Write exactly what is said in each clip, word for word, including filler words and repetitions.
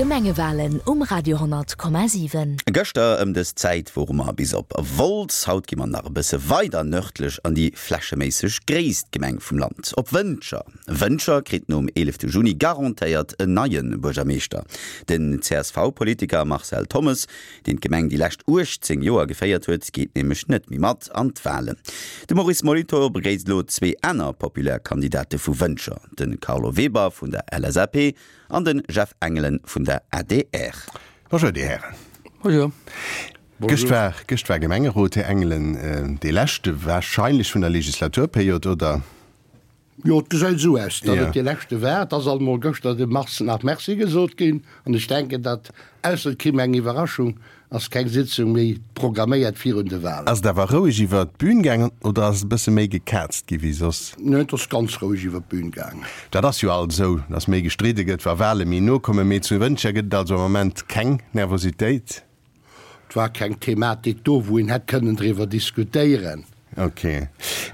D'Gemengewalen um Radio honnert Komma siwen. Gëschter ëm dës Zäit wore mer bis op Wolz. Haut gi mer nach e bësse weider nërdlech an déi flächeméisseg gréisst Gemeng vum Land, op Wëntger. Wëntger kritt nom eelefte Juni garantéiert en neie Buergermeeschter. Den C S V-Politiker Marcel Thommes, deen d'Gemeng déi lescht uechtzéng Joer geféiert huet, geet nämlech net méi mat an d'Walen. De Maurice Molitor begréisst elo zwee aner populär Kandidate vu Wëntger, de Carlo Weber vun der L S A P an de Jeff Engelen vun der A D R. Bonjour, Dir Hären. Bonjour. Gëscht war, gëscht war Gemengerot, Här Engelen, dee leschte warscheinlech vun der Legislaturperiod, oder? Jo, et gesäit esou aus, datt Ja. et dee leschte war. Et ass alt emol gëschter dem Mars nach Merci gesot ginn. An ech denken, datt, ausser et kéim eng Iwwerraschung, ass keng Sitzung méi programméiert virun de Walen. Ass et awer roueg iwwer d'Bün gaangen oder ass et e bësse méi gekaazt gi wéi soss? Nee, et ass ganz roueg iwwer d'Bün gaangen. Dat ass jo alt esou, datt méi gestridde gëtt, wa Wale méi no kommen. Mee zu Wëntger gëtt et also am Moment keng Nervositéit? Et war keng Thematik do, wou een hätt kënnen driwwer diskutéieren. Ok.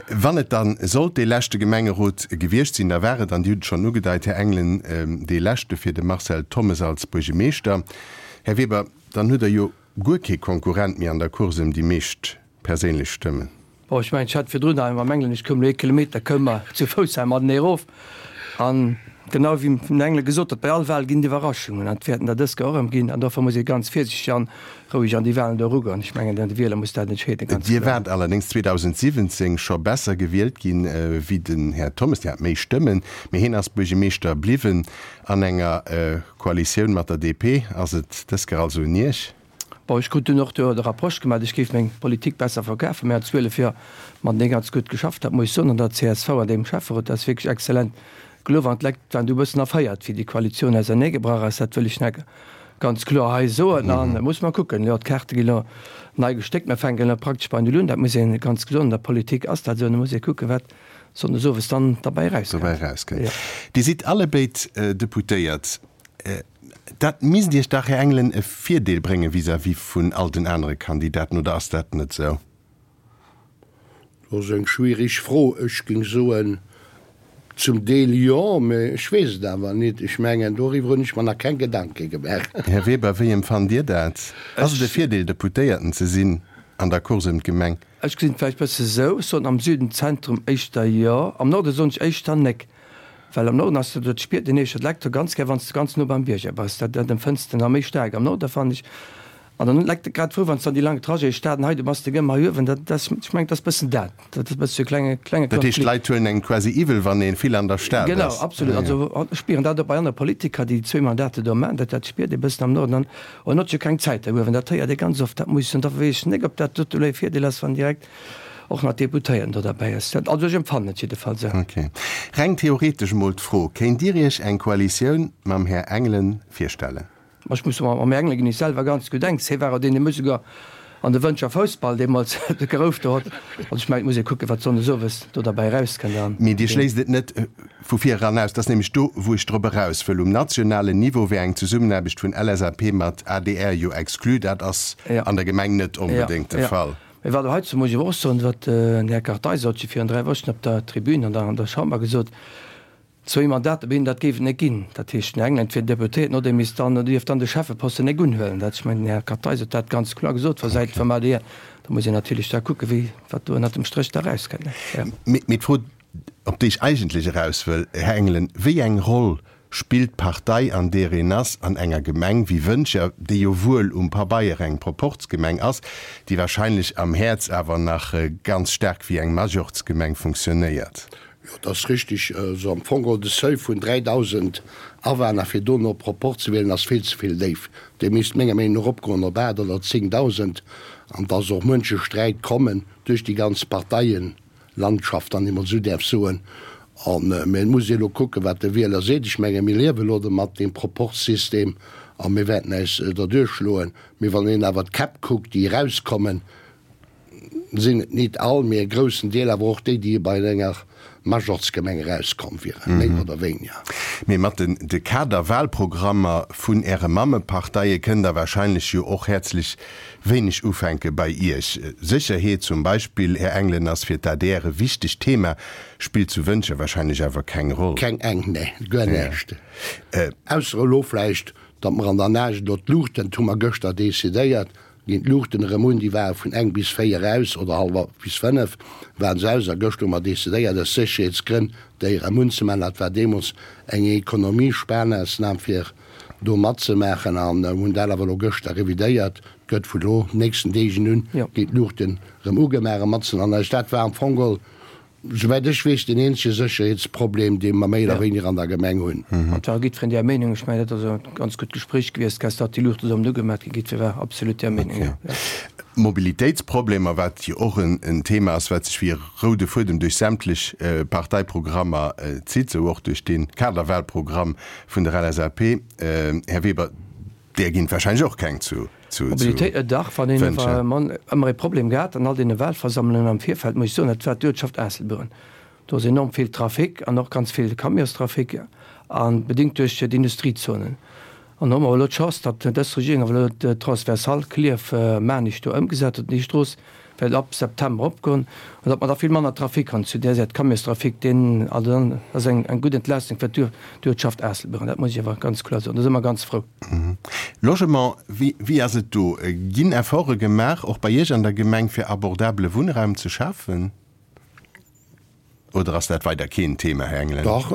Wann et dann sollt dee leschte Gemengerot gewiescht sinn, da war et, an Dir hutt et schonn ugedeit, Här Engelen, dee leschte fir de Marcel Thommes als Buergemeeschter. Här Weber, dann hutt Der jo guer kee Konkurrent méi an der Course ëm déi meescht perséinlech Stëmmen. Bon, ech mengen, ech hat virdrun nach mam Engelen, ech koum elo ee Kilometer, koum mer zu Fouss hei matenee erof. An genau wéi den Engelen gesot huet, bei all Wahl ginn et Iwwerraschungen an et wäerten der dës Kéier och erëm ginn. An dofir muss ee ganz virsichteg an roueg an déi Wahlen do erugoen. Ech mengen, de Wieler muss dat entscheeden, ganz Dir kloer. waart allerdéngs zweedausendsiwwenzéng scho besser gewielt ginn wéi den Här Thommes. Dir hat méi Stëmmen, mee hien ass Buergemeeschter bliwwen an enger Koalitioun mat der D P. Ass et dës Kéier also un Iech? Bon, ech krut dunn och do de Reproche gemaach, ech géif meng Politik besser verkafen. Mir hat zwielef Joer matenee ganz gutt geschafft, dat muss ech soen, an der C S V an deem Schäfferot, dat ass wierklech exzellent geloof. An d'Lekt waren du e bëssen erféiert, wéi déi Koalitioun auserneegebrach ass, dat wëll ech nach ganz kloer hei soen. An muss mer kucken, jo, d'Kaarte gi lo nei gestéckt, mir fänken elo praktesch bei Null un, dat muss ee ganz kloer, an der Politik ass dat esou, an da muss ee kucken, wat sonndes owes dann derbäi erauskënnt. Dobäi erauskënnt. Jo. Dir sidd allebéid Deputéiert. Dat misst Iech dach, Här Engelen, e Virdeel brénge vis-à-vis vun all den anere Kandidaten, oder ass dat net esou? Dat ass eng schwierig Fro. Ech géing soen, zum Deel jo, mä ech weess et awer net. Ech mengen, doriwwer hunn ech mer nach keng Gedanke gemaach. Här Weber, wéi empfannt Dir dat? Ass et e Virdeel, Deputéierten ze sinn an der Course ëm d'Gemeng? Ech gesinn et vläicht bësse sou, ech soen am Süden, Zentrum éischter jo, am Norde soen ech éischter nek. Well am Norden ass dat, dat spiert een éischter d'Lekt ganz gär, wann s de ganz no beim Bierger bass. Dat, dat empfënns de nach méi staark am Norde, fannen ech. An dann hunn d'Lekt grad frou, wann s dann déi laang Trajete Stad an hei, du bass de gëmm hei uewen. Dat, dat ass, ech mengen, dat ass bëssen dat. Dat ass e bësse sou e klenge, klenge Dat heescht, Konflikt. d'Leit huelen engem quasi iwwel, wann ee vill an der Stad Genau, ass? absolut. Ah, ja. Also ech spieren dat och bei anere Politiker, déi zwee Mandate do maachen. Dat, dat spiert ee bëssen am Norden. An en huet jo keng Zäit da uewen. Dat héiert ee ganz oft. Dat muss ech soen. Da weess ech net, ob dat dote elo e Virdeel ass, wann direkt och nach Deputéierten do derbäi ass. Dat, also ech empfannen et jiddefalls esou. Ok. Reng theoretesch emol d'Fro, Kéint Dir Iech eng Koalitioun mam Här Engelen virstellen? Ma ech muss soen, mam Här Engelen ginn ech selwer ganz gutt enks. Hie war och deen, dee mech souguer an de Wëntger Foussball deemools gerouft huet. Also ech mengen, et muss ee kucken, wat sonndes owes do derbäi erauskënnt an. Mee Dir schléisst et net vu vir eran aus? Dat ass nämlech do, wou ech drop eraus wëll. Um nationalen Niveau wär eng Zesummenaarbecht vun L S A P mat A D R jo exclu. Dat ass an der Gemeng net onbedéngt de Fall. Mee wat heizou muss ech awer och soen, wat den Här Kartheiser huet jo virun dräi Wochen op der Tribün an der an der Chamber gesot, zwéi Mandater bei hinnen, dat géif et net ginn. Dat heescht, den Här Engelen wier Deputéierten, oder e misst dann, oder dierft dann de Schäffeposten net unhuelen. Dat, ech mengen, den Här Kartheiser huet dat ganz kloer gesot vu Säit vum A D R. Da muss een natierlech da kucken, wéi, wat do ënnert dem Stréch da erauskënnt, ne? Jo. Mee d'Fro, op déi ech eigentlech eraus wëll, Här Engelen, Wéi eng Roll spillt d'Partei, an deer een ass, an enger Gemeng wéi Wëntger, déi jo wuel um Pabeier eng Proporzgemeng ass, déi wahrscheinlech am Häerz awer nach ganz staark wéi eng Majorzgemeng funktionéiert? Jo, dat ass richtig. Also am Fong geholl de Seuil vun dräidausend Awänner, fir do no Proporz ze wielen, ass vill ze vill déif. Dee misst menger Meenung no eropgoen op aacht oder zéngdausend. An dass och muenche Sträit kommen duerch déi ganz Parteien-Landschaft, wann ee mol esou däerf soen. An, mä et muss ee elo kucken, wat de Wieler seet. Ech menge mir liewe elo mat deem Proporzsystem a mir wäerten äis derduerch schloen. Mee wann een awer d'Käpp kuckt, déi erauskommen, sinn et nit all, mee e groussen Deel awer och déi, déi bei enger Majorzgemeng erauskomm wieren, méi oder wéiniger. Mee mat den de Kaderwahlprogrammer vun Äre Mammeparteie kënnt Der wahrscheinlech jo och häerzlech wéineg ufänke bei Iech. Sécherheet zum Beispill, Här Engelen, ass fir d'A D R e wichtegt Thema, spillt zu Wëntger wahrscheinlech awer keng Roll. Keng eng, nee, guer näischt. Ausser elo vläicht datt mer an der Nacht elo d'Luuchten, dat hu mer gëschter decidéiert, ginn d'Luuchten erëm un, déi ware vun eng bis véier aus oder hallwer bis fënnef ware se aus a gëschter hu mer decidéiert aus Sécherheetsgrënn déi erëm unzemaachen. Dat war deemools eng Ekonomiesparmaßnam fir do matzemaachen an hunn dat awer elo gëschter revidéiert. Et gëtt vun elo nächsten Deegen un ginn d'Luuchten erëm ugemaach a matzen an eis. Dat war am Fong geholl Souwäit ech weess, deen eenzege Sécherheetsproblem, dee mer méi oder wéiniger an der Gemeng hunn. An et war jiddwereen där Meenung. Ech mengen, dat ass e ganz gutt Gespréich gewiescht, gest, datt déi Luuchte sollen ugemat ginn. Jiddweree war absolut där Meenung, jo. Mobilitéitsproblemer, wat jo och en Thema ass, wat sech wéi e roude Fuedem duerch sämtlech Parteiprogrammer zitt, esou och duerch dee Kaderwahlprogramm vun der L S A P. Här Weber, där ginn et wahrscheinlech och keng zu Mobilitéit, dach, wann een Wënscher. Ëmmer ee Problem gehat an all deene Wahlversammlungen am Virfeld, muss ech soen, dat war d'Uertschaft Aasselbueren. Do ass enorm vill Trafic an och ganz vill Camionstrafic a bedingt duerch d'Industriezonen. An do hu mer awer elo d'Chance, datt dës Regierung awer elo d'Transversale Klierf-Maarnich do ëmgesat huet. Déi Strooss wäert ab September opgoen an datt mer da vill manner Trafic hunn zu där Säit, Camionstrafic, deen, also dann ass eng eng gutt Entlaastung fir d'Uertschaft Aasselbueren. Dat muss ech awer ganz kloer soen. Do si mer ganz frou. Logement, wéi wéi ass et do? Ginn Efforte gemaach, och bei Iech an der Gemeng, fir abordabele Wunnraum ze schafen? Oder ass dat weider keen Thema, Här Engelen? Dach,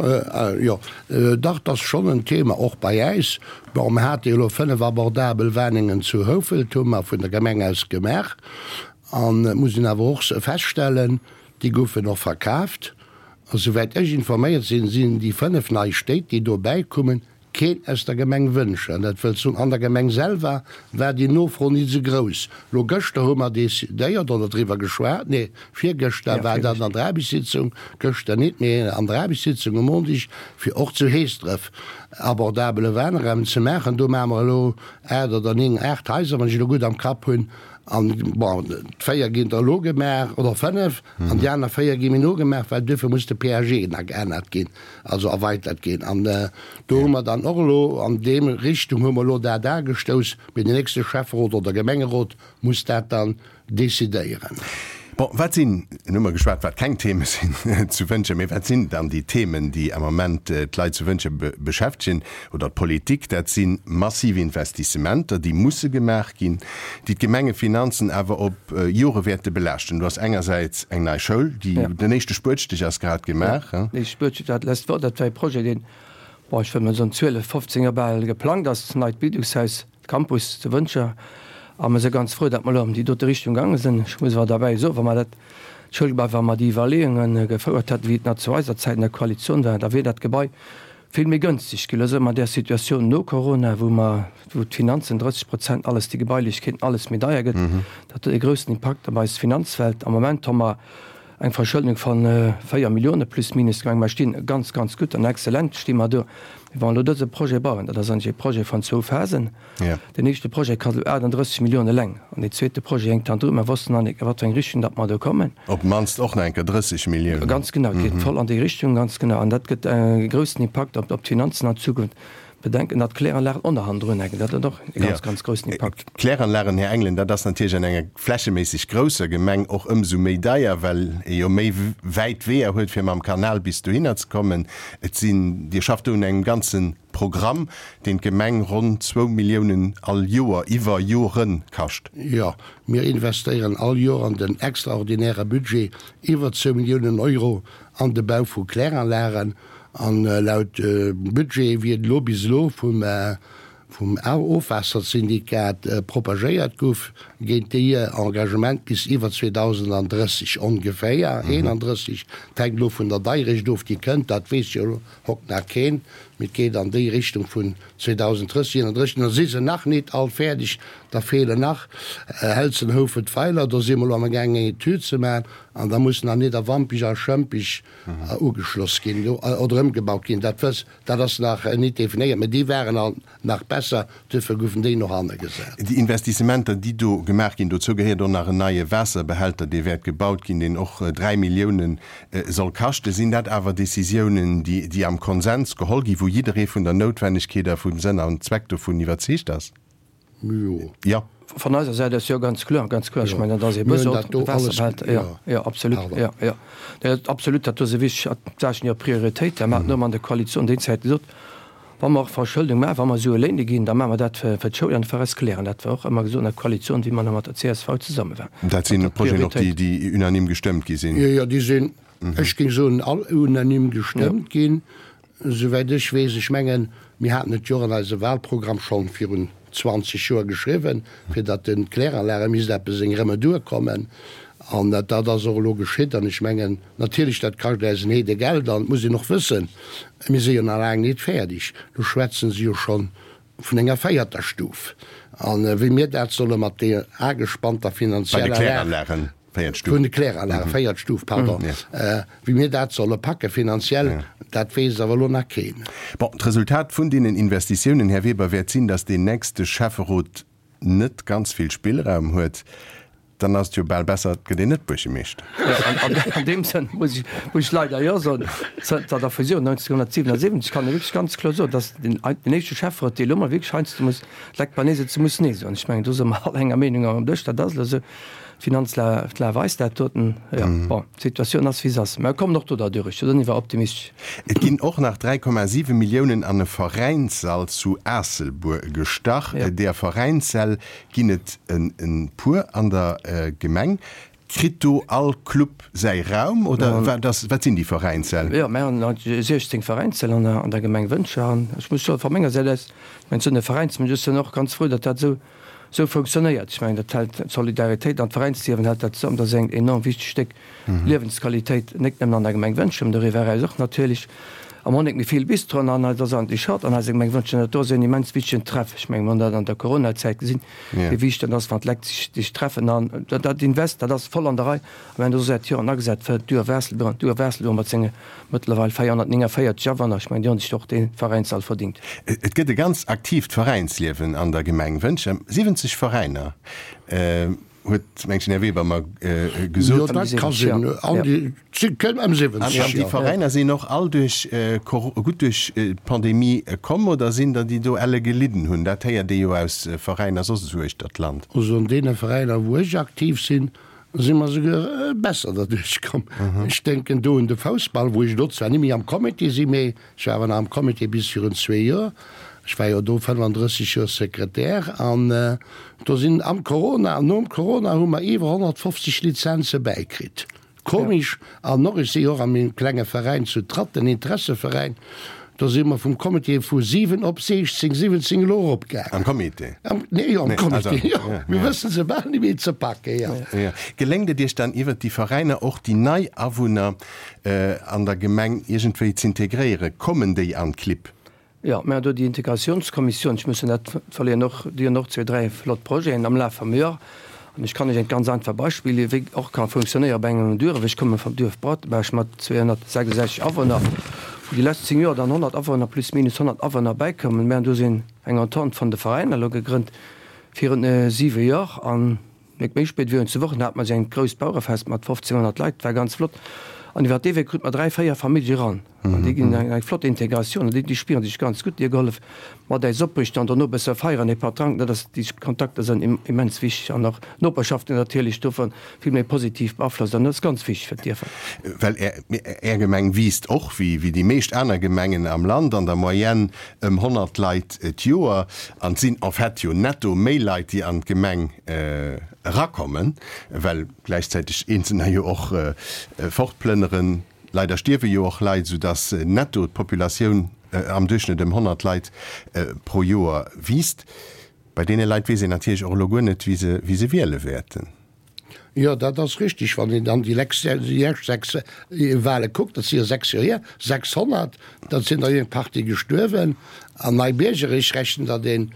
jo, dach, dat ass schonn en Thema, och bei äis. Bon, mer hate jo elo fënnef abordabel Wennengen zu Houfelt, hu mer vun der Gemeng aus gemaach. An et muss een awer och feststellen, déi goufen och verkaaft. A souwäit ech informéiert sinn, sinn déi fënnef nei Stéit, déi dobäi kummen, keen aus der Gemeng Wëntger. An dat wëllt soen, an der Gemeng selwer war déi Nofro nit esou grouss. Lo gëschter hu mer decidéiert oder driwwer geschwat, nee, virgëschter war dat an der Aarbechtssitzung, gëschter nit, mee an der Aarbechtssitzung um Mondig, fir och zu Heesdref abordabele Wunnraum ze maachen. Do maache mer elo aacht oder néng, aacht Haiser, wann ech elo gutt am Kapp hunn. An, bon, véier ginn der elo gemaach, oder fënnef, an déi aner véier gi méi no gemaach, well duerfir muss de P A G nach geännert ginn, also erweitert ginn. An do hu mer dann och elo, an deem Richtung hu mer elo dat agestouss, mee den nächste Schäfferot oder Gemengerot muss dat dann decidéieren. Bon, wat sinn, elo hu mer geschwat, wat keng Theme sinn zu Wëntger, mee wat sinn dann déi Themen, déi am Ament d'Leit zu Wëntger beschäftegen oder d'Politik? Dat si massiv Investissementer, déi musse gemaach ginn, déi d'Gemengefinanzen awer op Jore wäerte belaaschten. Do ass engersäits eng nei Schoul, déi, den éischte Spuetstich ass grad gemaach. Jo, den éischte Spuetstich, dat lescht Woch, dat war e Projet, deen, bon, ech wëll mol soen, zwielef, fofzéng Joer bal geplangt ass, neit Bildungshaus. Campus zu Wëntger a mer si ganz frou, datt mer elo an déi dote Richtung gaange sinn. Ech muss awer derbäi soen, wa mer dat Schoulgebai, wa mer déi Iwwerleeunge gefouert hätten, wéi et nach zu eiser Zäit an der Koalitioun war, da wier dat Gebai vill méi gënstig ginn. Elo si mer an där Situatioun no Corona, wou mer, wou d'Finanzen, drësseg Prozent alles, déi Gebailechkeeten, alles méi deier gëtt. Dat huet e groussen Impakt op eis Finanzwelt. Am Moment hu mer eng Verschëldung vu véier Millioune plus minus gemaach. Mer stinn ganz, ganz gutt an exzellent sti mer do. Mee wa mer elo dëse Projet bauen, dat ass eigentlech e Projet vun zwou Phasen. Deen éischte Projet kascht elo aachtanddrësseg Milliounen eleng an deen zweete Projet hénkt dann dru. Mer wossten nach net, a wat fir eng Richtung datt mer do kommen. Op d'mannst och nach eng Kéier drësseg Milliounen. Ganz genau, et geet voll an déi Richtung, ganz genau. An dat gëtt e groussen Impakt op d'Finanzen an Zukunft. Bedenken, datt d'Kläranlagen och nach hannendrun hänken. Dat huet och e ganz, ganz groussen Impakt. Kläranlagen, Här Engelen, dat ass natierlech an enger flächeméisseg grousser Gemeng och ëmsou méi deier, well ee jo méi wäit Weeër huet, fir mam Kanal bis dohinner ze kommen. Et sinn, Dir schafft do un engem ganze Programm, deen d'Gemeng ronn zwou Milliounen all Joer iwwer Jore kascht. Jo, mir investéieren all Joer an den extraordinäre Budget iwwer zwou Milliounen Euro an de Bau vu Kläranlagen. An laut Budget, wéi et elo bis elo vum vum Ofwaassersyndikat propagéiert gouf, geet déi Engagement bis iwwer zweedausendandrësseg ongeféier, eenandrësseg, et hänkt elo vun der Deierecht of, déi kënnt, dat weess jo elo hokt nach keen, mee et geet an déi Richtung vun zweedausendrësseg, eenandrësseg. Da si se nach nit all fäerdeg, da feelen nach Helzen, Houfelt, Weiler, do si mer elo amgaangen eng Etüd ze maachen, an da mussen nach Nidderwampich a Schëmpich ugeschloss ginn oder ëmgebaut ginn, dat wëss, dat ass nach nit definéiert, mä déi waren alt nach besser, duerfir goufen déi no hanne gesat. Déi Investissementer, déi do gemaach ginn, dozou gehéiert och nach en neie Waasserbehälter, dee wäert gebaut ginn, deen och dräi Milliounen soll kaschten. Sinn dat awer Décisiounen, déi am Konsens geholl ginn, wou jidderee vun der Noutwennegkeet a vum Sënn an Zweck dovun iwwerzeegt ass? Jo. Jo. Von eiser Säit aus jo, ganz kloer, ganz kloer. Ech mengen, dat ass ee Besoin, de Waasserbehälter, jo, jo, absolut, jo, jo. Dat absolut, dat do si wichteg Saachen, jo, Prioritéit. Dat hat mer an der Koalitioun déi Zäit gesot, Wa mer och Verschëldung maachen, wa mer Sue léine ginn, da maache mer dat fir d'Schoul an fir eis Klären. Dat war och ëmmer gesot an der Koalitioun, wéi mer nach mat der csv zesumme waren. Dat sinn Projeten och, déi, déi unanime gestëmmt gi sinn? Jo, jo, déi sinn, ech géing soen, all unanime gestëmmt ginn, souwäit ech weess. Ech mengen, mir haten et jo och an eise Wahlprogramm schonn virun zwanzeg Joer geschriwwen, fir datt den Kläranlage misst eppes eng Remedur kommen. An dat ass och elo geschitt. An ech mengen, natierlech, dat kascht äis en Heede Geld. An et muss een och wëssen, mir si jo nach laang nit fäerdeg. Do schwätzen se jo scho vun enger véierter Stuf. A wéi mir dat solle mat deer agespannter finanzieller Lag, vun de Kläranlagen, véiert Stuf, pardon, wéi mir dat solle packe finanziell, dat weess awer elo nach keen. Bon, d'Resultat vun deenen Investitiounen, Här Weber, wäert sinn, datt deen nächste Schäfferot net ganz vill Spillraum huet. Dann ass et jo bal besser, et gëtt een net Buergermeeschter. An deem Sënn muss ech, muss ech leider jo soen, zënter der Fusioun neunzehnhundertsiewenundsiebzeg kann ee wierklech ganz kloer soen, datt den, den éischte Schäfferot, dee elo mol wierklech heiansdo muss d'Lekt bei Nee setzen, muss Nee soen. Ech mengen, do si mer all enger Meenung am Dësch, dat ass elo esou. D'Finanzlag weist dat doten. Jo, bon, d'Situatioun ass, wéi se ass. Mä mir kommen och do derduerch, do sinn ech optimistesch. Et ginn och nach dräi Komma siwe Milliounen an e Veräinssall zu Aasselbuer gestach. Deeër Veräinssäll ginn et e puer an der Gemeng. Kritt do all Club säi Raum oder wat ass, wat sinn déi Veräinssäll? Jo, mir hunn siechzéng Veräinssäll an der Gemeng Wëntger. An ech muss soen, vu menger Säit aus, ech mengen, ech sinn e Veräinsmënsch, ech sinn och ganz frou, datt dat esou Esou funktionéiert. Ech mengen, dat hält d'Solidaritéit an d'Veräinsliewen hält dat zesummen. Dat ass eng enorm wichteg Stéck Liewensqualitéit, net nëmmen an der Gemeng Wëntger, mä doriwwer eraus och natierlech. A mer hunn net méi vill Bistroen an et ass eigentlech schadd an eiser Gemeng Wëntger. Dat do ass en immens wichtegen Treff. Ech mengen, mer hunn dat an der Coronazäit gesinn, wéi wichteg dat ass, wann d'Lekt sech sech treffen. An dat Invest, dat ass voll an der Rei. A mir hunn do säit Joren agesat fir d'Duerf Aasselbuer. An d'Duerf Aasselbuer mat senge Mëttlerweil véierhonnertnéngavéierzeg Awunner, ech mengen, déi hunn sech och dee Veräinssall verdingt. Et gëtt e ganz aktiivt Veräinsliewen an der Gemeng Wëntger, siwwenzeg Veräiner, huet mengt den Här Weber mer gesot. Jo, dat ka sinn, an déi kënn ëm siwwenzeg, jo. An déi Veräiner sinn och all duerch gutt duerch d'Pandemie komm oder sinn der, déi do elle gelidden hunn? Dat héiert ee jo aus Veräiner soss esou uechter d'Land. Also an deene Veräiner, wou ech aktiv sinn, Si mer souguer besser derduerch komm. Ech denken do un de Foussball, wou ech elo zwar net méi am Comité sinn, mee ech war awer nach am Comité bis virun zwee Joer. Ech war jo do fënnefandrësseg Joer Sekretär an do sinn am Corona an nom Corona hu mer iwwer honnertfofzeg Lizenze bäikritt. Komisch. An och, ech si jo och a mengem klenge Veräin zu Tratt, den Interesseveräin, do si mer vum Comité vu siwen op siechzéng, siwwenzéng elo eropgaangen. Am Comité? Am, nee, jo, am Comité, jo. Mir wësse se bal net méi ze packen, jo. Jo. Geléngt et Iech dann iwwert déi Veräiner och déi nei Awunner an der Gemeng iergendwéi z'integréieren? Kommen déi an d'Clibb? Jo, mir hunn do déi Integratiounskommissioun, ech muss jo net verléieren, och déi hunn och zwee, dräi flott Projeten am Laf vum Joer. An ech kann lech eng ganz einfach Beispill ginn, wéi och ka funktionéiere bei engem Duerf. Ech komme vum Duerf Bratteberg mat zweehonnertsechsundsechzeg Awunner, wou déi lescht zéng Joer dann honnert Awunner, plus minus honnert Awunner bäikoumen. Mir hunn do sinn eng Entente vun de Veräiner elo gegrënnt virun siwe Joer. An Nik méi spéit wéi zu Wochen hate mer esou engt grousst Bauerefest mat fofzénghonnert Leit, dat war ganz flott. An iwwer dee Wee krute mer dräi, véier Famillje eran. An déi ginn eng flott Integratioun an déi spieren sech ganz gutt. Déi hu gehollef mat äis opriichten an dono e bësse feieren, ee Patt dranken. Dat ass, déi Kontakter sinn immens wichteg an och d'Noperschaften natierlech dovun vill méi positiv beaflosst an dat ass ganz wichteg fir d'Dierfer. Well Är Gemeng wiisst och, wéi déi meescht aner Gemengen am Land, an der Moyenne ëm honnert Leit d'Joer. An et sinn en fait jo netto méi Leit, déi an d'Gemeng erakommen, well gläichzäiteg Eenzelner jo och fortplënneren. Leider stierwe jo och Leit, soudass netto d'Populatioun am Duerchschnëtt ëm honnert Leit pro Joer wiisst. Bei deene Leit weess een natierlech och elo guer net, wie se, wie se wiele wäerten. Jo, dat ass richtig. Wann een dann déi lescht sechs Wahle kuckt, dat si jo sechs Joer hier, sechshonnert, da sinn der jo eng Partie gestuerwen. An nei Biergerich rechnen, datt een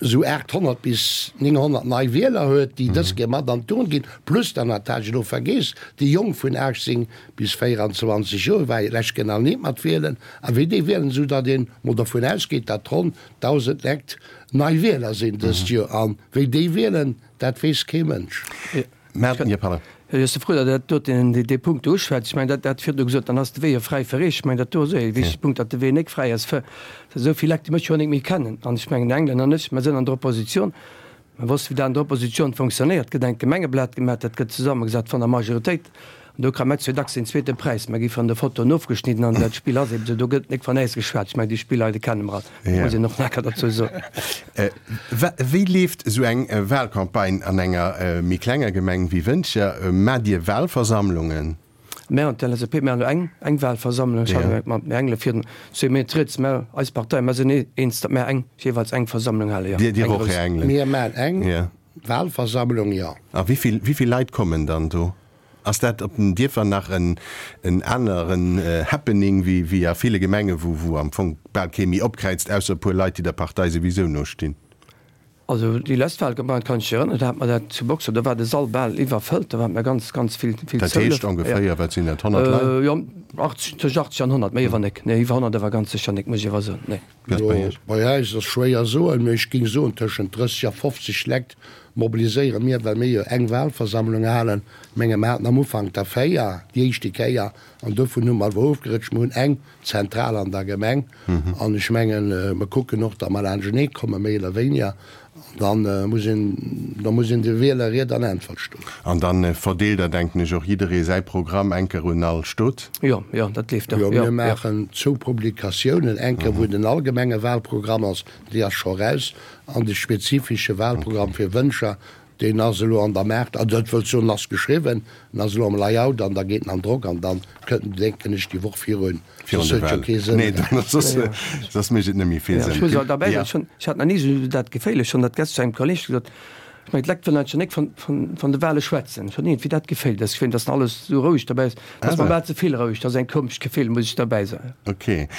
esou aathonnert bis nénghonnert nei Wieler huet, déi dës Kéier mat an d'Urn ginn, plus dann, dat hat ech elo vergeess, déi Jonk vun aachtzéng bis véieranzwanzeg Joer, war jo d'lescht Kéier nach net mat wielen, a wéi déi wielen, esou datt een mol dervun ausgeet, datt ronn dausend Lekt nei Wieler sinn dëst Joer. A wéi déi wielen, dat weess kee Mënsch. Jo, pardon. Jo, ech si frou, datt Der dat doten, dee Punkt do uschwätzt. Ech mengen, dat dat virdu gesot, dann ass de Wee jo fräi fir Eech. Ech mengen, dat do ass och e wichtege Punkt, datt de Wee nek fräi ass fir esou vill Lekt, déi mech jo nek méi kennen. An ech mengen, den Engländer an ech, mer sinn an der Opposition, mer wossten, wéi dat an der Opposition fonctionnéiert. Et gëtt engt Gemengeblat gemaach, dat gëtt zesammengesat vun der Majoritéit An do kréie mer zwee dacks den zweete Präis. Mer gi vun de Fotoen ofgeschnidden an dat Spill ass eben esou. Do gëtt nik van äis geschwat. Ech mengen, déi Spiller hei, déi kenne mer all. Dat muss een och nach derzou soen. Wéi leeft esou eng Wahlcampagne an enger méi klenger Gemeng wéi Wëntger? Maacht Dir Wahlversammlungen? Mär an d'LSAP maachen elo eng, eng Wahlversammlung. Ech hat mat Här Engelen virun zwee Méint rieds. Mä eis Partei, mer sinn eens, datt mär eng, jeeweils eng Versammlung halen, jo. Dir, Dir och, Här Engelen? Mir maachen eng Wahlversammlung, jo. A wéi vill, wéi vill Leit kommen dann do? Ass dat op den Dierfer nach en aneren Happening wéi a ville Gemenge wou am Fong bal kee méi opkräizt, ausser e puer Leit, déi der Partei souwisou nostinn? Also déi lescht Wahlcampagne, kann ech mech erënneren, do hat mer dat zu Boxer, do war de Sall bal iwwerfëllt, do hate mer ganz, ganz vill, vill Dat heescht ongeféier, wat sinn dat, honnert Leit? Jo, achtzeg, tëscht achtzeg an honnert, méi awer nek, nee, iwwer honnert awer ganz sécher nek, muss ech awer soen, nee. Jo, bei äis ass schwéier soen, mee ech géing soen tëschent drësseg a fofzeg Lekt Mobiliséiere mir, well mir jo eng Wahlversammlung halen, menge mer haten am Ufank der véier, déi éischte Kéier, an dovun hu mer awer ofgerëtscht, mer hunn eng Zentral an der Gemeng an ech mengen, mer kucken och, datt mer laanschtenee kommen, méi oder wéiniger, an da muss een, da muss een de Wieler Ried an Äntwert stoen. An da verdeelt Der, denken ech, och jidderee säi Programm eng Kéier un all Stot? Jo, jo, dat leeft och, jo. Jo, mir maachen zwou Publikatiounen, eng Kéier wou den allgemenge Wahlprogramm ass, déi ass scho raus, An de spezifische Wahlprogramm fir Wënscher, deen ass elo an der Maart, also dat wëllt soen, en ass geschriwwen, en ass elo am Layout an da geet en an Drock an dann kënnt en, denken ech, déi Woch virun, soss huet jo kee Sënn. Nee, soss, soss mécht et net méi vill Sënn. Ech muss awer derbäi soen, ech hunn, ech hat nach ni esou dat Geféll, ech hunn dat gest zu engem Kolleg gesot, ech mengen, d'Lekt wëllen eigentlech nik vun, vun, vun de Wahle schwätzen. Ech hunn iergendwéi dat Geféll, dass ech fannen, dass alles esou roueg derbäi ass, dat ass mer bal ze vill roueg, dat ass eng komescht Geféll, muss ech derbäi soen. Okay.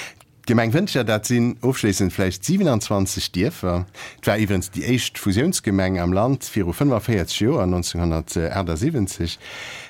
D'Gemeng Wëntger, dat sinn ofschléissend vläicht siwenanzwanzeg Dierfer. Et war iwwerens déi éischt Fusiounsgemeng am Land viru fënnefaféierzeg Joer, nonzénghonnertaachtsiwwenzeg.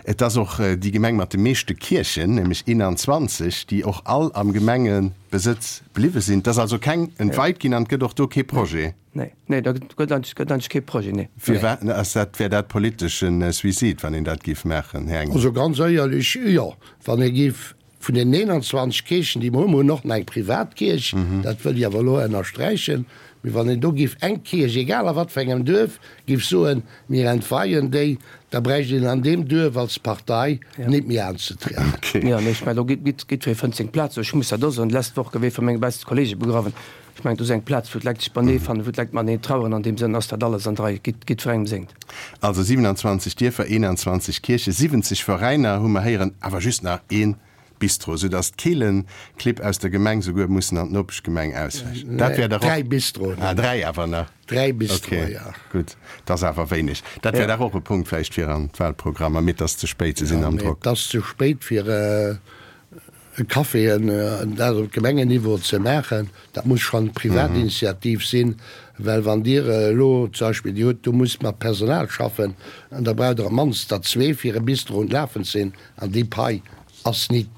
Et ass och déi Gemeng mat de meeschte Kierchen, nämlech eenanzwanzeg, déi och all am Gemengebesëtz bliwwe sinn. Et ass also keng entweit ginn an et gëtt och do kee Projet. Nee, nee, da gëtt eigentlech, gëtt eigentlech kee Projet, nee. Firwat ass dat, wär dat politesch e Suicide, wann een dat géif maachen, Här Engel? Also ganz éierlech, jo. Wann ee géif Vun den eenanzwanzeg Kierchen, déi mer hunn, mer hunn och nach eng privat Kierch, dat wëll ech awer elo ënnersträichen, mee wann een do géif eng Kierch, egal a wat fir engem Duerf, géif soen, mir entweien déi, da bräicht een an deem Duerf als Partei nit méi anzetrieden. Jo, nee, ech mengen, do geet jiddweree fënnt seng Plaz. Ech muss dat och soen, d'lescht Woch gouf ee vu menge beschte Kollege begrawen. Ech mengen, do ass eng Plaz, wou d'Leit sech beienee fannen, wou d'Leit mateneen traueren. An deem Sënn ass dat alles an der Rei, jiddwerengem sengt. Also siwenanzwanzeg Dierfer, eenanzwanzeg Kierchen, siwwenzeg Veräiner hu mer héieren, awer just nach ee Bistro, sou datt d'Keelenclibb aus der Gemeng souguer mussen an d'Nopeschgemeng auswäichen. Dat wär dach och. Dräi Bistroen. Ah, dräi awer nach. Dräi Bistroe, jo. Ok, gutt, dat ass awer wéineg. Dat wär dach och e Punkt vläicht fir an d'Wahlprogrammer, mee et ass ze spéit, se sinn am Drock. Et ass ze spéit fir. Caféen, dat op Gemengenniveau ze maachen, dat muss schonn Privatinitiativ sinn, well wann Dir elo zum Beispill, Dir hutt, do musst mat Personal schaffen an da braucht Der op d'mannst der zwee fir e Bistro un d'Lafen ze sinn an déi Pai ass nit,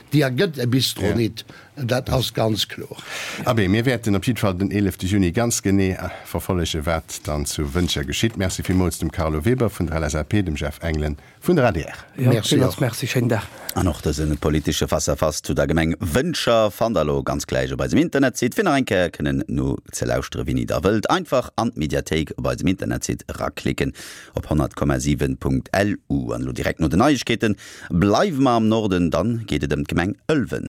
déi ergëtt e Bistro nit, dat ass ganz kloer. Abee, mir wäerten op jiddwer Fall den eelefte Juni ganz genee verfollegen, wat dann zu Wëntger geschitt. Merci villmools dem Carlo Weber vun der L S A P, dem Jeff Engelen Vun der adr. Jo, villmools Merci, schéinen Dag. An och dëse politesche Face-à-Face zu der Gemeng Wëntger fannt der elo ganz gläich op eisem Internetsite, fir nach eng Kéier kënnen nozelauschteren, wéini der wëllt. Einfach an d'Mediathéik op eisem Internetsite eraklicken op honnert Komma siwen Punkt L U. An elo direkt no den Neiegkeeten bleiwe mer am Norden, dann geet et ëm d'Gemeng Ëlwen.